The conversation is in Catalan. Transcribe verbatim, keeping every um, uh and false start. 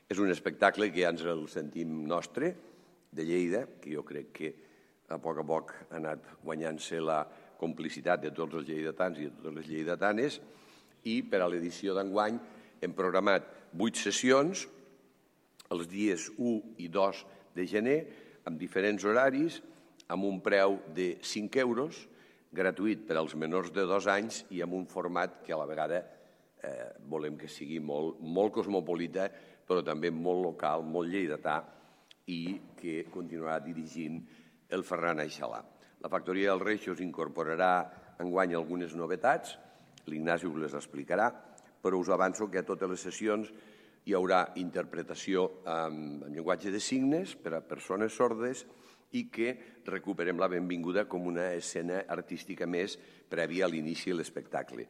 És un espectacle que ja ens el sentim nostre, de Lleida, que jo crec que a poc a poc ha anat guanyant-se la complicitat de tots els lleidatans i de totes les lleidatanes, i per a l'edició d'enguany hem programat vuit sessions els dies u i dos de gener, amb diferents horaris, amb un preu de cinc euros, gratuït per als menors de dos anys i amb un format que a la vegada eh, volem que sigui molt, molt cosmopolita, però també molt local, molt lleidatà, i que continuarà dirigint el Ferran Aixalà. La Factoria dels Reixos incorporarà enguany algunes novetats, l'Ignasi us les explicarà, però us avanço que a totes les sessions hi haurà interpretació en llenguatge de signes per a persones sordes i que recuperem la benvinguda com una escena artística més prèvia a l'inici de l'espectacle.